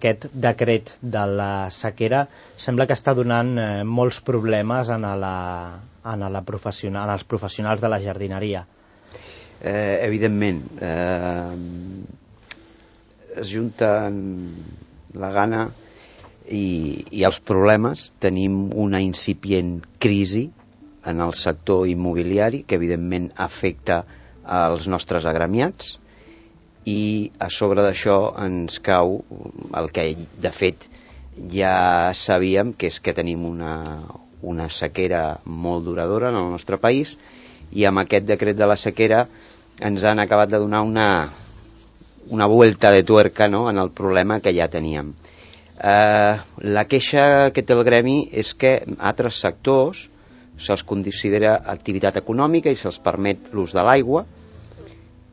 aquest decret de la sequera sembla que està donant molts problemes en els professionals de la jardineria. Evidentment, es junten la gana i els problemes. Tenim una incipient crisi en el sector immobiliari que evidentment afecta als nostres agremiats, i a sobre d'això ens cau el que de fet ja sabíem, que és que tenim una sequera molt duradora en el nostre país, i amb aquest decret de la sequera ens han acabat de donar una vuelta de tuerca, no?, en el problema que ja teníem. La queixa que té el gremi és que altres sectors se'ls considera activitat econòmica i se'ls permet l'ús de l'aigua,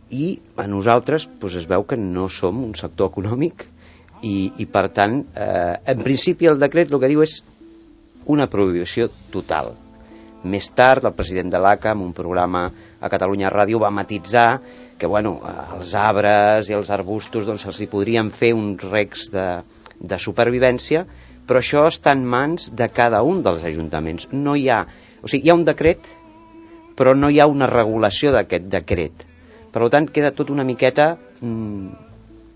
i a nosaltres es veu que no som un sector econòmic, i per tant, en principi el decret el que diu és una prohibició total. Més tard el president de l'ACA, en un programa a Catalunya Ràdio, va matitzar que als arbres i als arbustos se'ls podrien fer uns recs de supervivència, però això està en mans de cada un dels ajuntaments. No hi ha, hi ha un decret, però no hi ha una regulació d'aquest decret. Per tant, queda tot una miqueta...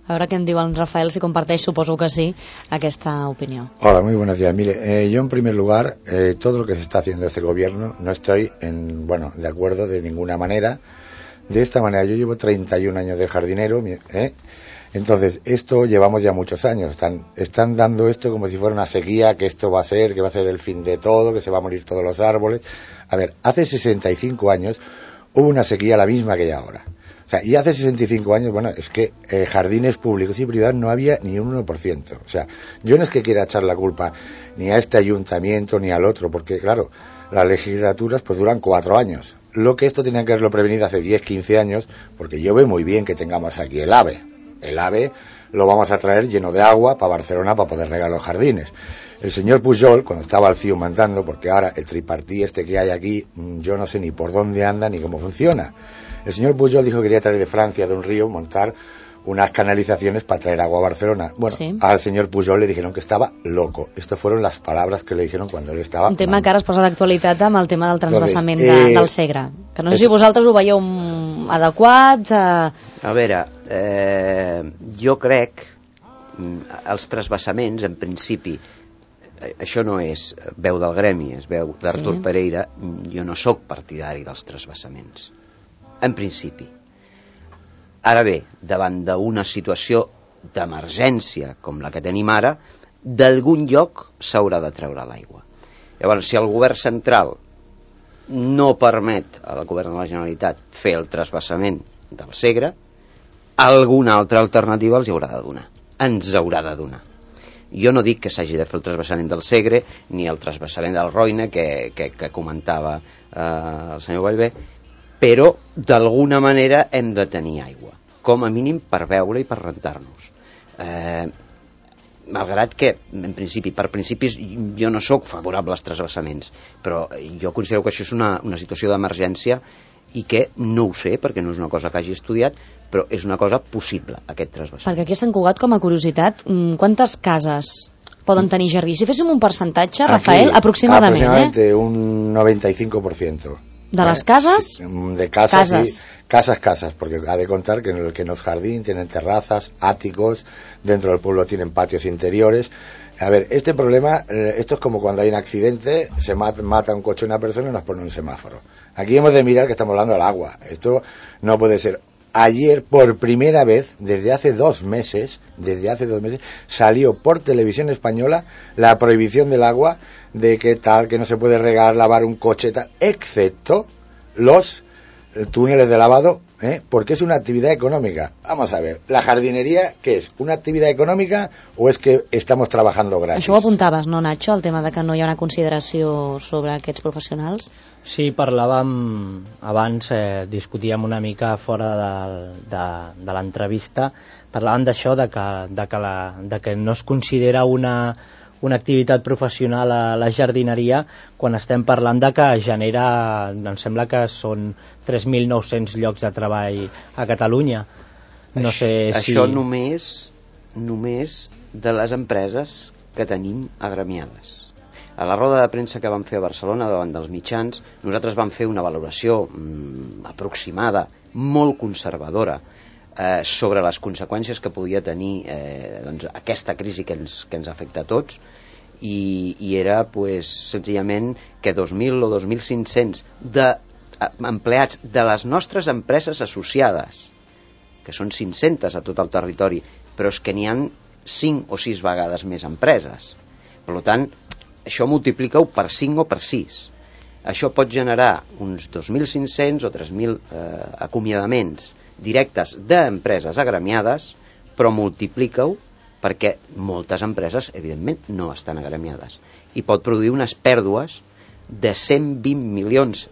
A veure què en diu el Rafael, si comparteix, suposo que sí, aquesta opinión. Hola, muy buenos días. Mire, yo en primer lugar, todo lo que se está haciendo este gobierno, no estoy de acuerdo de ninguna manera. De esta manera, yo llevo 31 años de jardinero, entonces esto llevamos ya muchos años. Están dando esto como si fuera una sequía, que esto va a ser el fin de todo, que se va a morir todos los árboles. A ver, hace 65 años hubo una sequía la misma que hay ahora. Y hace 65 años, es que jardines públicos y privados no había ni un 1%. Yo no es que quiera echar la culpa ni a este ayuntamiento ni al otro, porque claro, las legislaturas duran 4 años. Lo que esto tenían que haberlo prevenido hace 10, 15 años, porque yo veo muy bien que tengamos aquí el AVE. El AVE lo vamos a traer lleno de agua para Barcelona para poder regar los jardines. El señor Pujol, cuando estaba al CIU mandando, porque ahora el tripartí que hay aquí, yo no sé ni por dónde anda ni cómo funciona. El señor Pujol dijo que quería traer de Francia, de un río, montar unas canalizaciones para traer agua a Barcelona. Sí. Al señor Pujol le dijeron que estaba loco. Estas fueron las palabras que le dijeron cuando él estaba... Un tema que ara es posa d'actualitat amb el tema del transvasament del Segre. Que no sé si vosaltres ho veieu adequat... A veure, jo crec els transvasaments, en principi, això no és veu del gremi, és veu d'Artur Pereira, jo no sóc partidari dels transvasaments. En principi. Ara bé, davant d'una situació d'emergència com la que tenim ara, d'algun lloc s'haurà de treure l'aigua. Llavors, si el govern central no permet al govern de la Generalitat fer el transvasament del Segre, alguna altra alternativa els haurà de donar. Ens haurà de donar. Jo no dic que s'hagi de fer el transvasament del Segre ni el transvasament del Roine que comentava el senyor Vallvé, però d'alguna manera hem de tenir aigua, com a mínim per beure i per rentar-nos. Malgrat que, per principis, jo no sóc favorable als transvasaments, però jo considero que això és una situació d'emergència i que no ho sé, perquè no és una cosa que hagi estudiat, però és una cosa possible, aquest transvasament. Perquè aquí a Sant Cugat, com a curiositat, quantes cases poden tenir jardí? Si féssim un percentatge, Rafael, aproximadament. Aproximadamente un 95%. ¿De las casas? De casas. Casas, porque ha de contar que en los jardines tienen terrazas, áticos, dentro del pueblo tienen patios interiores. A ver, este problema, esto es como cuando hay un accidente, se mata un coche a una persona y nos pone un semáforo. Aquí hemos de mirar que estamos hablando del agua. Esto no puede ser. Ayer, por primera vez, desde hace 2 meses, salió por televisión española la prohibición del agua, de que no se puede regar, lavar un coche, excepto los túneles de lavado, porque es una actividad económica. Vamos a ver, ¿la jardinería qué es? ¿Una actividad económica o es que estamos trabajando gratis? Això ho apuntaves, no, Nacho, el tema de que no hi ha una consideració sobre aquests professionals? Sí, parlàvem abans, discutíem una mica fora de l'entrevista, parlàvem d'això, de que no es considera una activitat professional a la jardineria quan estem parlant de que genera, em sembla que són 3.900 llocs de treball a Catalunya. No sé si... Això només de les empreses que tenim agremiades. A la roda de premsa que vam fer a Barcelona davant dels mitjans, nosaltres vam fer una valoració aproximada, molt conservadora, sobre les conseqüències que podia tenir doncs, aquesta crisi que ens afecta a tots, i era pues, senzillament que 2.000 o 2.500 empleats de les nostres empreses associades, que són 500 a tot el territori, però és que n'hi ha 5 o 6 vegades més empreses. Per tant, això multiplica-ho per 5 o per 6. Això pot generar uns 2.500 o 3.000 acomiadaments directes d'empreses agremiades, però multiplica-ho perquè moltes empreses, evidentment, no estan agremiades. I pot produir unes pèrdues de 120 milions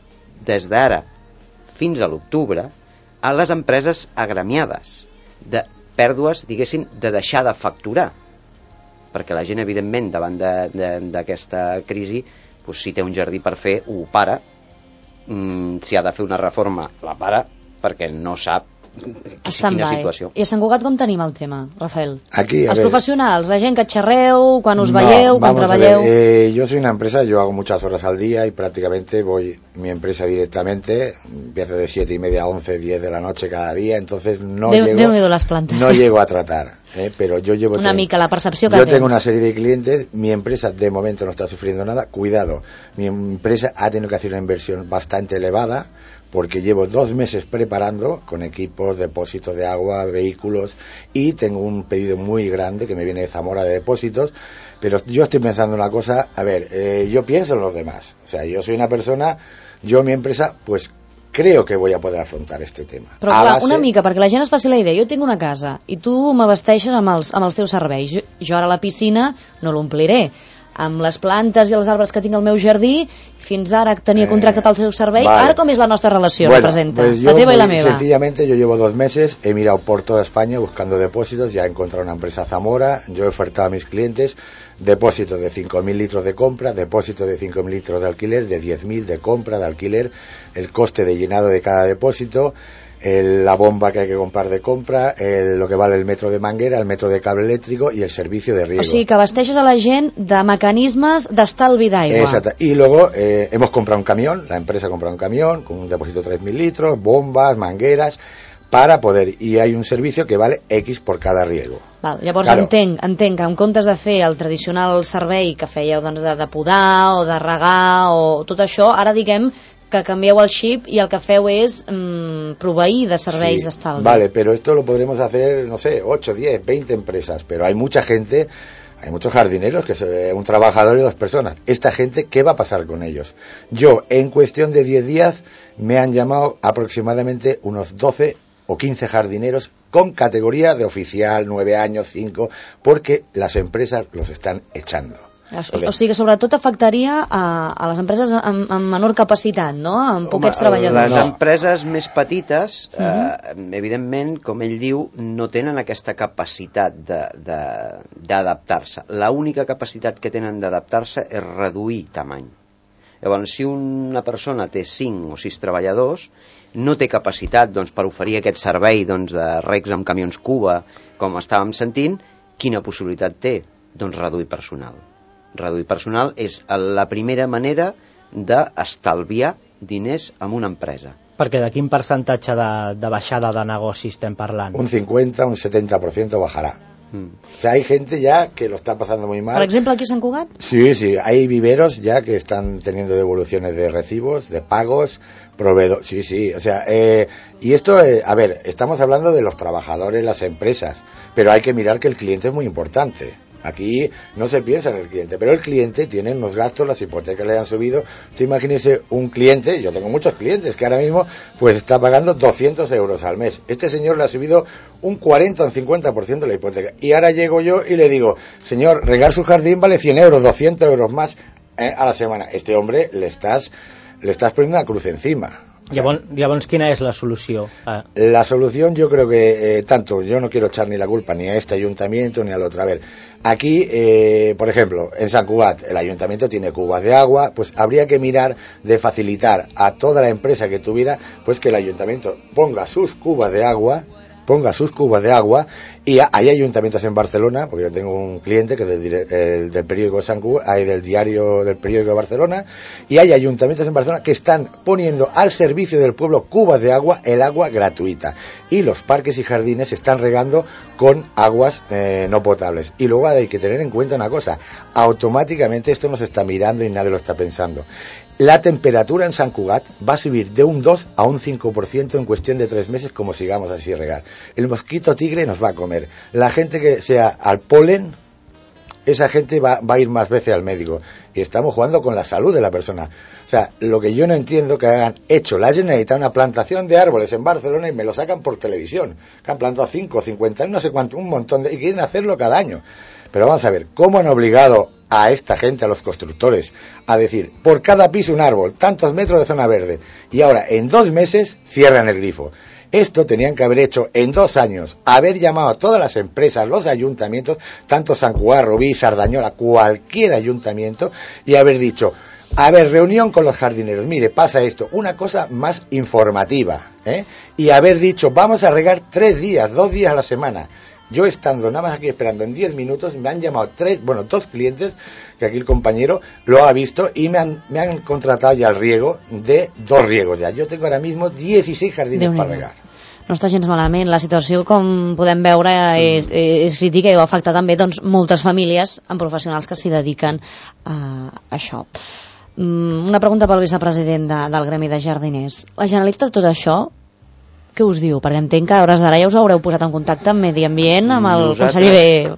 des d'ara fins a l'octubre a les empreses agremiades, de pèrdues, diguéssim, de deixar de facturar, perquè la gent, evidentment, davant d'aquesta crisi, doncs, si té un jardí per fer, ho para, si ha de fer una reforma, la para, perquè no sap quina situació. I a Sant Cugat com tenim el tema, Rafael? Aquí, Els profesionals, la gent que xerreu, quan us veieu, quan treballeu... Yo soy una empresa, yo hago muchas horas al día y prácticamente voy mi empresa directamente, empiezo de 7:30 a 11, 10 de la noche cada día, entonces no llego a tratar. Pero yo llevo una mica la percepció que yo tens. Tengo una serie de clientes, mi empresa de momento no está sufriendo nada, cuidado, mi empresa ha tenido que hacer una inversión bastante elevada porque llevo 2 meses preparando con equipos, depósitos de agua, vehículos, y tengo un pedido muy grande que me viene de Zamora de depósitos, pero yo estoy pensando una cosa, a ver, yo pienso en los demás, o sea, yo soy una persona, yo mi empresa, pues creo que voy a poder afrontar este tema. Però clar, una mica, perquè la gent es faci la idea, jo tinc una casa i tu m'abasteixes amb els teus serveis, jo ara la piscina no l'ompliré, amb les plantes i els arbres que tinc al meu jardí, fins ara tenia contractat el seu servei, vale. Ara com és la nostra relació, representa, pues la teva i la meva? Sencillamente yo llevo 2 meses, he mirado por toda España buscando depósitos, ya he encontrado una empresa Zamora, yo he ofertado a mis clientes depósitos de 5.000 litros de compra, depósitos de 5.000 litros de alquiler, de 10.000 de compra, de alquiler, el coste de llenado de cada depósito, la bomba que hay que comprar de compra, lo que vale el metro de manguera, el metro de cable eléctrico y el servicio de riego. O sigui que abasteixes a la gent de mecanismes d'estalvi d'aigua. Exacto. Y luego hemos comprado un camión, la empresa ha comprado un camión con un depósito de 3.000 litros, bombas, mangueras, para poder, y hay un servicio que vale X por cada riego. Val, llavors claro. entenc que en comptes de fer el tradicional servei que fèieu doncs, de podar o de regar o tot això, ara diguem que canvieu el xip y el que feu és proveir de serveis d'estalvi. Vale, pero esto lo podremos hacer, no sé, 8, 10, 20 empresas, pero hay mucha gente, hay muchos jardineros, que es un trabajador y 2 personas. Esta gente, ¿qué va a pasar con ellos? Yo, en cuestión de 10 días, me han llamado aproximadamente unos 12 o 15 jardineros con categoría de oficial, 9 años, 5, porque las empresas los están echando. O sigui que sobretot afectaria a les empreses amb menor capacitat, no? Amb poquets treballadors. Les empreses més petites, evidentment, com ell diu, no tenen aquesta capacitat d'adaptar-se. L'única capacitat que tenen d'adaptar-se és reduir tamany. Llavors, si una persona té 5 o 6 treballadors, no té capacitat doncs, per oferir aquest servei doncs, de regs amb camions Cuba, com estàvem sentint, quina possibilitat té? Doncs reduir personal. Reduir personal és la primera manera d'estalviar diners en una empresa. Perquè de quin percentatge de baixada de negoci estem parlant? Un 50, un 70% bajará. O sea, hay gente ya que lo está pasando muy mal. Por ejemplo, aquí en Sant Cugat. Sí, hay viveros ya que están teniendo devoluciones de recibos, de pagos, proveedores. Sí, o sea, y esto, a ver, estamos hablando de los trabajadores, las empresas, pero hay que mirar que el cliente es muy importante. Aquí no se piensa en el cliente, pero el cliente tiene unos gastos, las hipotecas le han subido. Usted imagínese un cliente, yo tengo muchos clientes que ahora mismo pues está pagando 200 euros al mes. Este señor le ha subido un 40 o un 50% de la hipoteca. Y ahora llego yo y le digo, señor, regar su jardín vale 100 euros, 200 euros más a la semana. Este hombre le estás poniendo una cruz encima. Llavors, quina és la solució? La solución yo creo que yo no quiero echar ni la culpa ni a este ayuntamiento ni al otro. A ver, aquí, por ejemplo, en Sant Cugat el ayuntamiento tiene cubas de agua, pues habría que mirar de facilitar a toda la empresa que tuviera, pues que el ayuntamiento ponga sus cubas de agua ponga sus cubos de agua, y hay ayuntamientos en Barcelona, porque yo tengo un cliente que es del periódico Sant Cugat, hay del diario del periódico de Barcelona, y hay ayuntamientos en Barcelona que están poniendo al servicio del pueblo cubos de agua, el agua gratuita, y los parques y jardines se están regando con aguas no potables. Y luego hay que tener en cuenta una cosa, automáticamente esto no se está mirando y nadie lo está pensando. La temperatura en Sant Cugat va a subir de un 2 a un 5% en cuestión de 3 meses, como sigamos así regar. El mosquito tigre nos va a comer. La gente que sea al polen, esa gente va a ir más veces al médico. Y estamos jugando con la salud de la persona. O sea, lo que yo no entiendo que hagan hecho la Generalitat una plantación de árboles en Barcelona y me lo sacan por televisión. Que han plantado 5, 50, no sé cuánto, un montón y quieren hacerlo cada año. Pero vamos a ver, ¿cómo han obligado a esta gente, a los constructores, a decir, por cada piso un árbol, tantos metros de zona verde, y ahora en 2 meses cierran el grifo? Esto tenían que haber hecho en 2 años, haber llamado a todas las empresas, los ayuntamientos, tanto Sant Cugat, Rubí, Sardañola, cualquier ayuntamiento, y haber dicho, a ver, reunión con los jardineros, mire, pasa esto, una cosa más informativa, y haber dicho, vamos a regar 3 días, 2 días a la semana. Yo estando nada más aquí esperando en 10 minutos, me han llamado 2 clientes, que aquí el compañero lo ha visto, y me han contratado ya el riego de 2 riegos ya. Jo tengo ahora mismo 16 jardines per regar. No està gens malament. La situació, com podem veure, és crítica i va afectar també moltes famílies amb professionals que s'hi dediquen a això. Una pregunta pel vicepresident del Gremi de Jardiners. La Generalitat, tot això, què us diu? Perquè entenc que a hores d'ara ja us haureu posat en contacte amb Medi Ambient, amb el conseller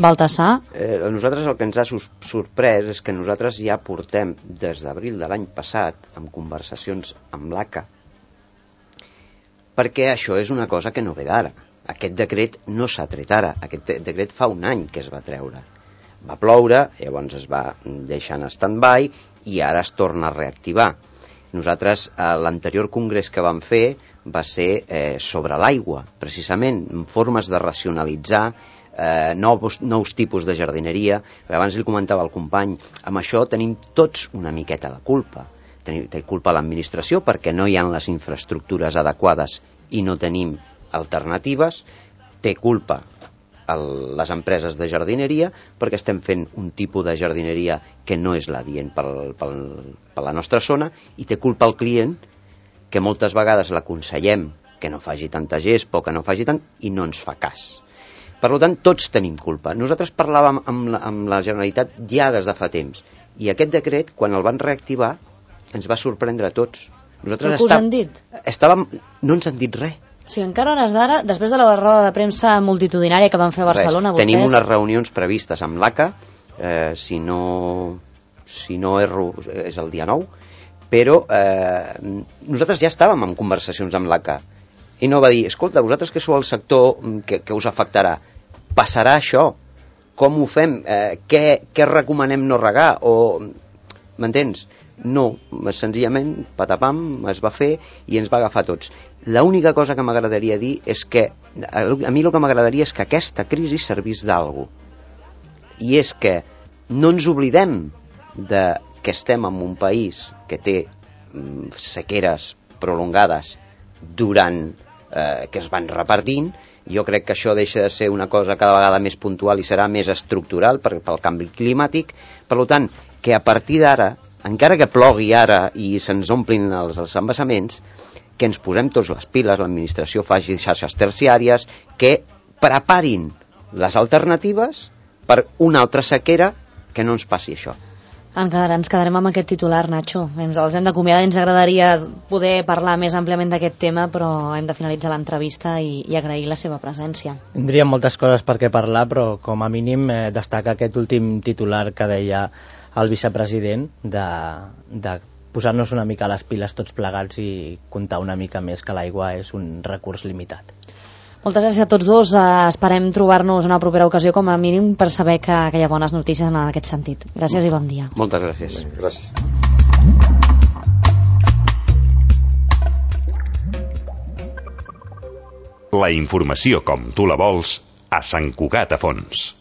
Baltasar. Nosaltres el que ens ha sorprès és que nosaltres ja portem des d'abril de l'any passat amb conversacions amb l'ACA, perquè això és una cosa que no ve d'ara. Aquest decret no s'ha tret ara, aquest decret fa un any que es va treure. Va ploure, llavors es va deixar en stand-by i ara es torna a reactivar. Nosaltres, a l'anterior congrés que vam fer, va ser sobre l'aigua, precisament, formes de racionalitzar nous tipus de jardineria. Abans li comentava al company, amb això tenim tots una miqueta de culpa. Té culpa l'administració perquè no hi ha les infraestructures adequades i no tenim alternatives. Té culpa les empreses de jardineria perquè estem fent un tipus de jardineria que no és l'adient per la nostra zona, i té culpa el client, que moltes vegades l'aconsellem que no faci tanta gespa o que no faci tant i no ens fa cas. Per tant, tots tenim culpa. Nosaltres parlàvem amb la Generalitat ja des de fa temps, i aquest decret, quan el van reactivar, ens va sorprendre a tots. Però què us han dit? No ens han dit res. O sigui, encara a hores d'ara, després de la roda de premsa multitudinària que van fer a Barcelona, vostès... Tenim unes reunions previstes amb l'ACA, si no erro és el dia 9, però nosaltres ja estàvem en conversacions amb l'ACA i no va dir, escolta, vosaltres que sou el sector que us afectarà, passarà això, com ho fem, què recomanem no regar, o m'entens? No, senzillament patapam, es va fer i ens va agafar tots. L'única cosa que m'agradaria dir és que a mi el que m'agradaria és que aquesta crisi servís d'algú, i és que no ens oblidem que estem en un país que té sequeres prolongades durant que es van repartint. Jo crec que això deixa de ser una cosa cada vegada més puntual i serà més estructural pel canvi climàtic. Per tant, que a partir d'ara, encara que plogui ara i se'ns omplin els embassaments, que ens posem tots les piles, l'administració faci xarxes terciàries, que preparin les alternatives per una altra sequera, que no ens passi això. Ens quedarem amb aquest titular, Nacho. Els hem d'acomiadar, ens agradaria poder parlar més àmpliament d'aquest tema, però hem de finalitzar l'entrevista i agrair la seva presència. Tindríem moltes coses per què parlar, però com a mínim destaca aquest últim titular que deia el vicepresident de posar-nos una mica a les piles tots plegats i comptar una mica més que l'aigua és un recurs limitat. Moltes gràcies a tots dos. Esperem trobar-nos en una propera ocasió, com a mínim, per saber que hi ha bones notícies en aquest sentit. Gràcies i bon dia. Moltes gràcies. Gràcies. La informació com tu la vols a Sant Cugat a Fons.